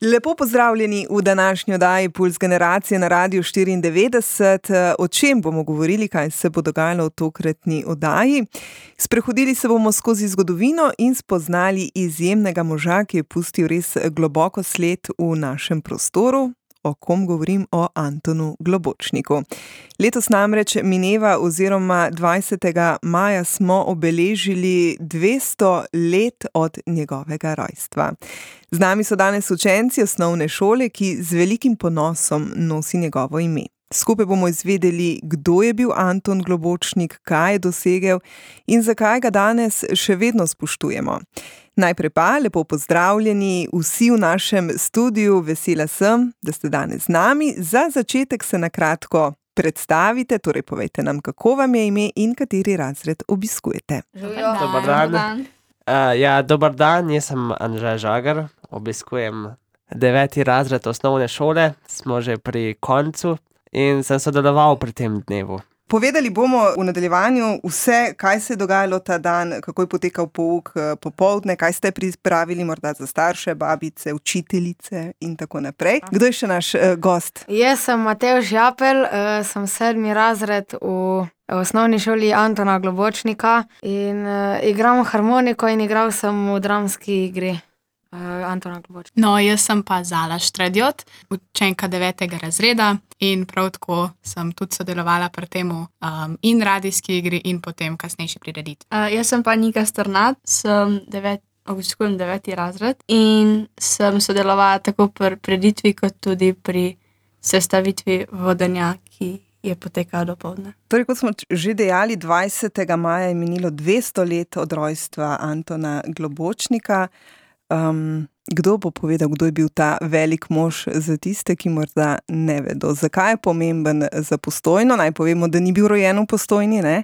Lepo pozdravljeni v današnji oddaji Puls generacije na Radiu 94. O čem bomo govorili, kaj se bo dogajalo v tokratni oddaji? Sprehodili se bomo skozi zgodovino in spoznali izjemnega moža, ki je pustil res globoko sled v našem prostoru. O kom govorim? O Antonu Globočniku. Letos namreč mineva oziroma 20. maja smo obeležili 200 let od njegovega rojstva. Z nami so danes učenci osnovne šole, ki z velikim ponosom nosi njegovo ime. Skupaj bomo izvedeli, kdo je bil Anton Globočnik, kaj je dosegel in zakaj ga danes še vedno spoštujemo. Najprej pa lepo pozdravljeni vsi v našem studiu, vesela sem, da ste danes z nami. Za začetek se na kratko predstavite, torej povejte nam, kako vam je ime in kateri razred obiskujete. Dobar dan. Dobar dan, jaz sem Anže Žagar, obiskujem 9. razred osnovne šole, smo že pri koncu in sem sodeloval pri tem dnevu. Povedali bomo v nadaljevanju vse, kaj se je dogajalo ta dan, kako je potekal pouk popoldne, kaj ste pripravili morda za starše, babice, učiteljice in tako naprej. Kdo je še naš gost? Jaz sem Matevž Japelj, sem 7. razred v osnovni šoli Antona Globočnika in igram harmoniko in igral sem v dramski igri Antona Globočnika. No, jaz sem pa Zala Štradjot, učenka 9. razreda in prav tako sem tudi sodelovala pri temu in radijski igri in potem kasnejši prireditvi. Jaz sem pa Nika Strnad, obiskujem 9. razred in sem sodelovala tako pri prireditvi kot tudi pri sestavitvi vodenja, ki je potekala dopoldne. Torej, kot smo že dejali, 20. maja je minilo 200 let od rojstva Antona Globočnika. Kdo bo povedal, kdo je bil ta velik mož za tiste, ki morda ne vedo? Zakaj je pomemben za Postojno? Naj povemo, da ni bil rojen v Postojni, ne?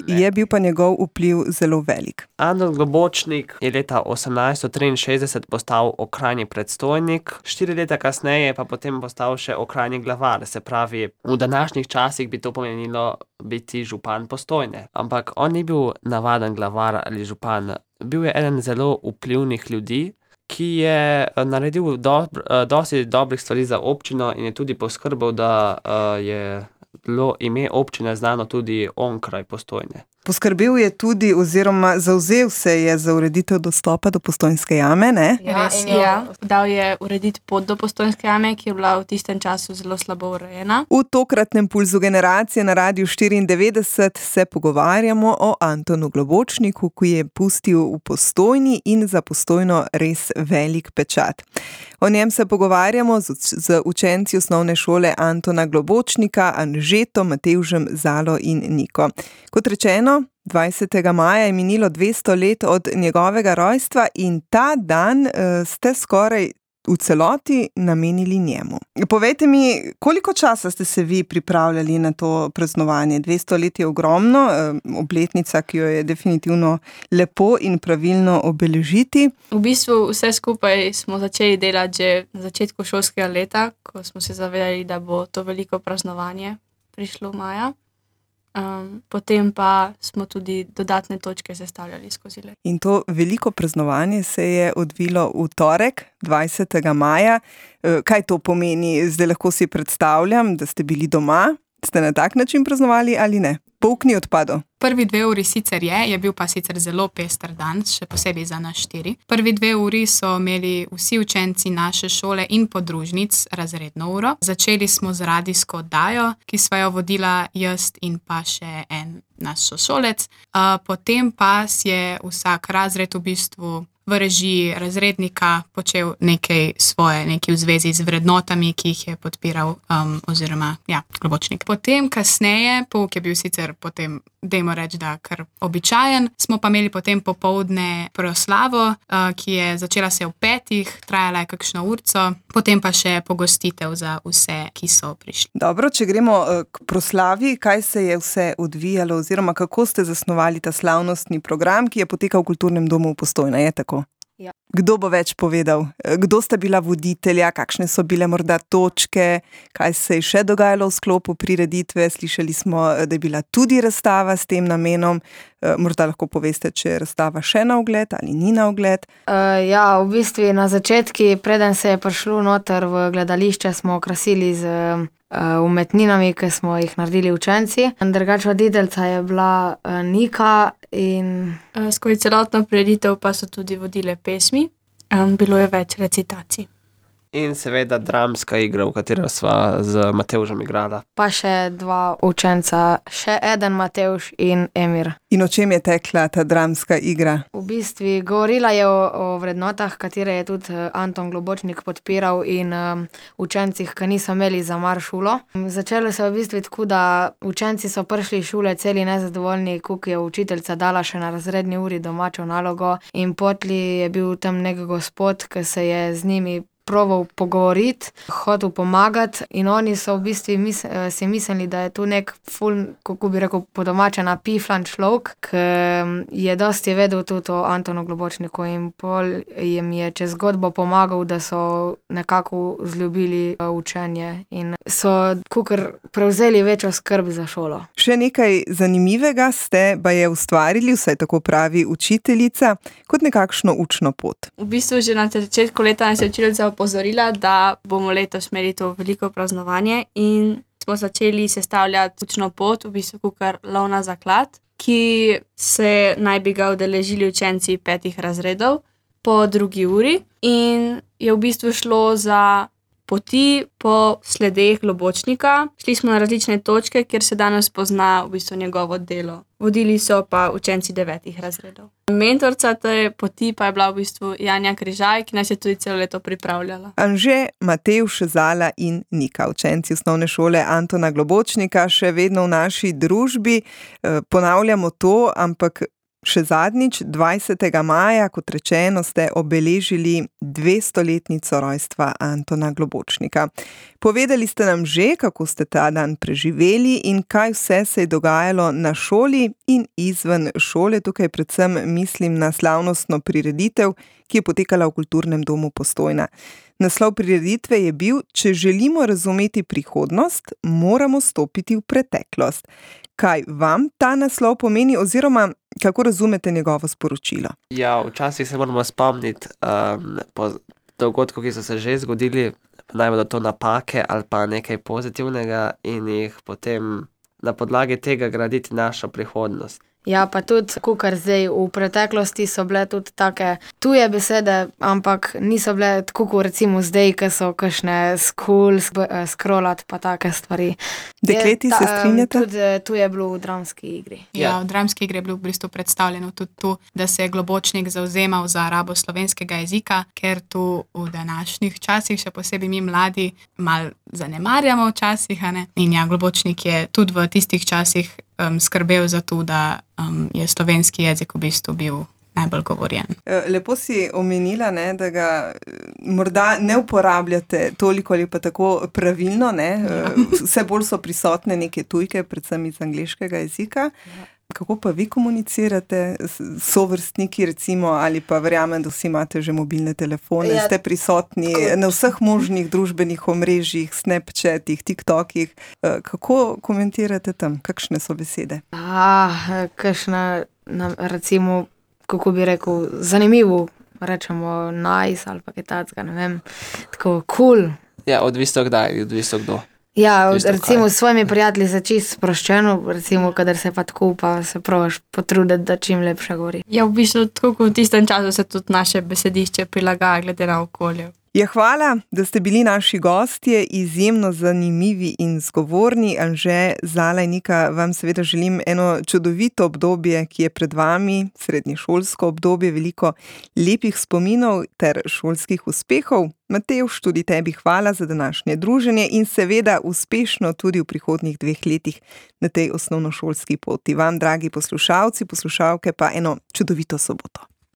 Je bil pa njegov vpliv zelo velik. Anton Globočnik je leta 1863 postal okrajni predstojnik, 4 leta kasneje pa potem postal še okrajni glavar. Se pravi, v današnjih časih bi to pomenilo biti župan Postojne. Ampak on ni bil navaden glavar ali župan. Bil je eden zelo vplivnih ljudi, ki je naredil dosti dobrih stvari za občino in je tudi poskrbel, da je bilo ime občine znano tudi onkraj Postojne. Poskrbel je tudi oziroma zavzel se je za ureditev dostopa do Postojnske jame, ne? Dal je urediti pot do Postojnske jame, ki je bila v tistem času zelo slabo urejena. V tokratnem Pulzu generacije na Radiu 94 se pogovarjamo o Antonu Globočniku, ki je pustil v Postojni in za Postojno res velik pečat. O njem se pogovarjamo z učenci osnovne šole Antona Globočnika, Anžetom, Matevžem, Zalo in Niko. Kot rečeno, 20. maja je minilo 200 let od njegovega rojstva in ta dan ste skoraj v celoti namenili njemu. Povejte mi, koliko časa ste se vi pripravljali na to praznovanje? 200 let je ogromno, obletnica, ki jo je definitivno lepo in pravilno obeležiti. V bistvu vse skupaj smo začeli delati že na začetku šolskega leta, ko smo se zavedali, da bo to veliko praznovanje prišlo maja. Potem pa smo tudi dodatne točke sestavljali skozi let. In to veliko praznovanje se je odvilo v torek, 20. maja. Kaj to pomeni? Zdaj lahko si predstavljam, da ste bili doma. Ste na tak način praznovali ali ne? Pouk ni odpadel. Prvi 2 uri sicer je bil pa sicer zelo pester dan, še posebej za nas 4. Prvi 2 uri so imeli vsi učenci naše šole in podružnic razredno uro. Začeli smo z radijsko oddajo, ki sva jo vodila jaz in pa še en naš sošolec. Potem pa si je vsak razred v bistvu v režiji razrednika počel nekaj v zvezi z vrednotami, ki jih je podpiral Globočnik. Potem kasneje, pouk je bil sicer potem, dajmo reči, da kar običajen, smo pa imeli potem popoldne proslavo, ki je začela se v 5, trajala je kakšno urco, potem pa še pogostitev za vse, ki so prišli. Dobro, če gremo k proslavi, kaj se je vse odvijalo oziroma kako ste zasnovali ta slavnostni program, ki je potekal v Kulturnem domu v Postojna, je tako? Ja. Kdo bo več povedal? Kdo sta bila voditelja? Kakšne so bile morda točke? Kaj se je še dogajalo v sklopu prireditve? Slišali smo, da je bila tudi razstava s tem namenom. Morda lahko poveste, če je razstava še na ogled ali ni na ogled. Ja, v bistvu na začetku, preden se je prišlo noter v gledališče, smo okrasili z umetninami, ki smo jih naredili učenci. Drugače voditeljica je bila Nika in Skozi celotno prireditev pa so tudi vodile pesmi. Bilo je več recitacij. In seveda dramska igra, v katero sva z Matevžem igrala. pa še 2 učenca, še eden Matevž in Emir. In o čem je tekla ta dramska igra? V bistvu govorila je o vrednotah, katere je tudi Anton Globočnik podpiral in učencih, ki niso imeli za mar šolo. Začelo se je v bistvu tako, da učenci so prišli iz šole celi nezadovoljni, koliko je učiteljica dala še na razredni uri domačo nalogo, in potli je bil tam nek gospod, ki se je z njimi proval pogovoriti, hotel pomagati, in oni so v bistvu si mislili, da je tu nek ful, kako bi rekel, po domače napiflan človek, ki je dosti vedel tudi o Antonu Globočniku, in pol jim je čez zgodbo pomagal, da so nekako vzljubili učenje in so kakor prevzeli večjo skrb za šolo. Še nekaj zanimivega ste baje ustvarili, vsaj tako pravi učiteljica, kot nekakšno učno pot. V bistvu že na začetku leta nas je učiteljica opozorila, da bomo letos imeli to veliko praznovanje, in smo začeli sestavljati učno pot, v bistvu kakor lov na zaklad, ki se naj bi ga udeležili učenci 5 razredov po 2. uri, in je v bistvu šlo za poti po sledeh Globočnika. Šli smo na različne točke, kjer se danes pozna v bistvu njegovo delo. Vodili so pa učenci 9 razredov. Mentorica te poti pa je bila v bistvu Janja Križaj, ki nas je tudi celo leto pripravljala. Anže, Matevž, Zala in Nika, učenci osnovne šole Antona Globočnika, še vedno v naši družbi. Ponavljamo to, ampak še zadnjič, 20. maja, kot rečeno, ste obeležili 200-letnico rojstva Antona Globočnika. Povedali ste nam že, kako ste ta dan preživeli in kaj vse se je dogajalo na šoli in izven šole. Tukaj predvsem mislim na slavnostno prireditev, ki je potekala v Kulturnem domu Postojna. Naslov prireditve je bil: Če želimo razumeti prihodnost, moramo stopiti v preteklost. Kaj vam ta naslov pomeni oziroma kako razumete njegovo sporočilo? Ja, včasih se moramo spomniti po dogodkov, ki so se že zgodili, naj bodo to napake ali pa nekaj pozitivnega, in jih potem na podlagi tega graditi našo prihodnost. Ja, pa tudi, kakor zdaj, v preteklosti so bile tudi take tuje besede, ampak niso bile tako, kot recimo zdaj, ki so kakšne scrollat pa take stvari. Dekleti se strinjate? Tudi tu je bilo v dramski igri. Ja, v dramski igri je bilo v bistvu predstavljeno tudi to, da se je Globočnik zavzemal za rabo slovenskega jezika, ker tu v današnjih časih, še posebej mi mladi, malo zanemarjamo včasih, a ne? In ja, Globočnik je tudi v tistih časih skrbel za to, da je slovenski jezik v bistvu bil najbolj govorjen. Lepo si omenila, ne, da ga morda ne uporabljate toliko ali pa tako pravilno, ne? Vse bolj so prisotne neke tujke, predvsem iz angleškega jezika. Kako pa vi komunicirate s sovrstniki, recimo, ali pa verjamem, da vsi imate že mobilne telefone, ste prisotni na vseh možnih družbenih omrežjih, Snapchatih, TikTokih. Kako komentirate tam? Kakšne so besede? Kakšna, recimo, kako bi rekel, zanimivo, rečemo nice ali pa kaj takega, ne vem, tako cool. Ja, odvisno kdaj, odvisno kdo. Ja, recimo s svojimi prijatelji se čisto sproščeno, recimo, kadar se pa tako pa se probaš potruditi, da čim lepše govori. Ja, v bistvu tako kot v tistem času se tudi naše besedišče prilagaja glede na okolje. Ja, hvala, da ste bili naši gostje, izjemno zanimivi in zgovorni. Anže, Zala in Nika, vam seveda želim eno čudovito obdobje, ki je pred vami, srednješolsko obdobje, veliko lepih spominov ter šolskih uspehov. Matevž, tudi tebi hvala za današnje druženje in seveda uspešno tudi v prihodnjih 2 letih na tej osnovnošolski poti. Vam, dragi poslušalci, poslušalke, pa eno čudovito soboto.